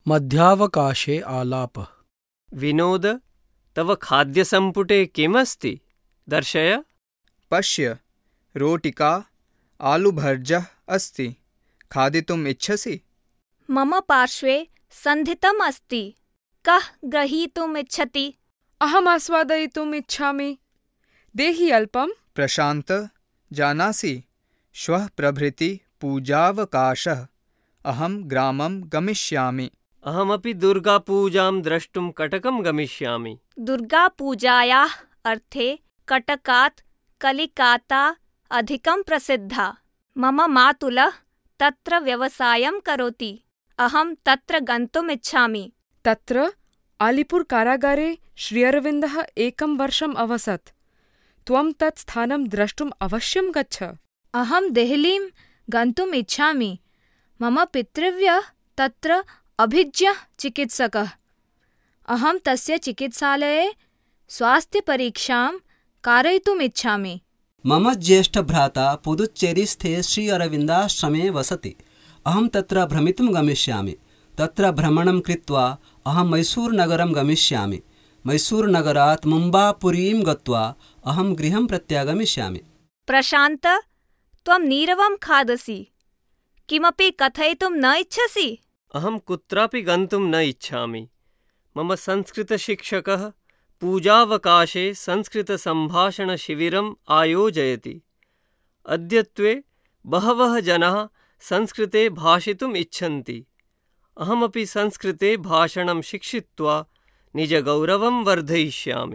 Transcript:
मध्यावकाशे आलापः। विनोद, तव खाद्यसम्पुटे किमस्ति? दर्शय। पश्य, रोटिका आलुभर्जः अस्ति। खादितुम् इच्छसि? मम पार्श्वे सन्धितम् अस्ति। कः ग्रहीतुम् इच्छति? अहम् आस्वादयितुम् इच्छामि। देहि अल्पम्। प्रशान्त, जानासि, श्वः प्रभृति पूजावकाशः। अहं ग्रामं गमिष्यामि। अहमपि दुर्गापूजां द्रष्टुं कटकं गमिष्यामि। दुर्गापूजायाः अर्थे कटकात् कलिकाता अधिकं प्रसिद्धा। मम मातुलः तत्र व्यवसायं करोति। अहं तत्र गन्तुम् इच्छामि। तत्र आलिपुर कारागारे श्रीअरविन्दः 1 वर्षम् अवसत्। त्वं तत् स्थानं द्रष्टुम् अवश्यं गच्छ। अहं देहलीं गन्तुम् इच्छामि। मम पितृव्यः तत्र अभिज्ञः चिकित्सकः। अहं तस्य चिकित्सालये स्वास्थ्यपरीक्षां कारयितुम् इच्छामि। मम ज्येष्ठभ्राता पुदुच्चेरीस्थे श्री अरविन्दाश्रमे वसति। अहं तत्र भ्रमितुं गमिष्यामि। तत्र भ्रमणं कृत्वा अहं मैसूरुनगरं गमिष्यामि। मैसूरुनगरात् मुम्बापुरीं गत्वा अहं गृहं प्रत्यागमिष्यामि। प्रशान्त, त्वं नीरवं खादसि। किमपि कथयितुं न इच्छसि? अहं कुत्रापि गन्तुं न इच्छामि। मम संस्कृतशिक्षकः पूजावकाशे संस्कृतसम्भाषणशिबिरम् आयोजयति। अद्यत्वे बहवः जनाः संस्कृते भाषितुम् इच्छन्ति। अहमपि संस्कृते भाषणं शिक्षित्वा निजगौरवं वर्धयिष्यामि।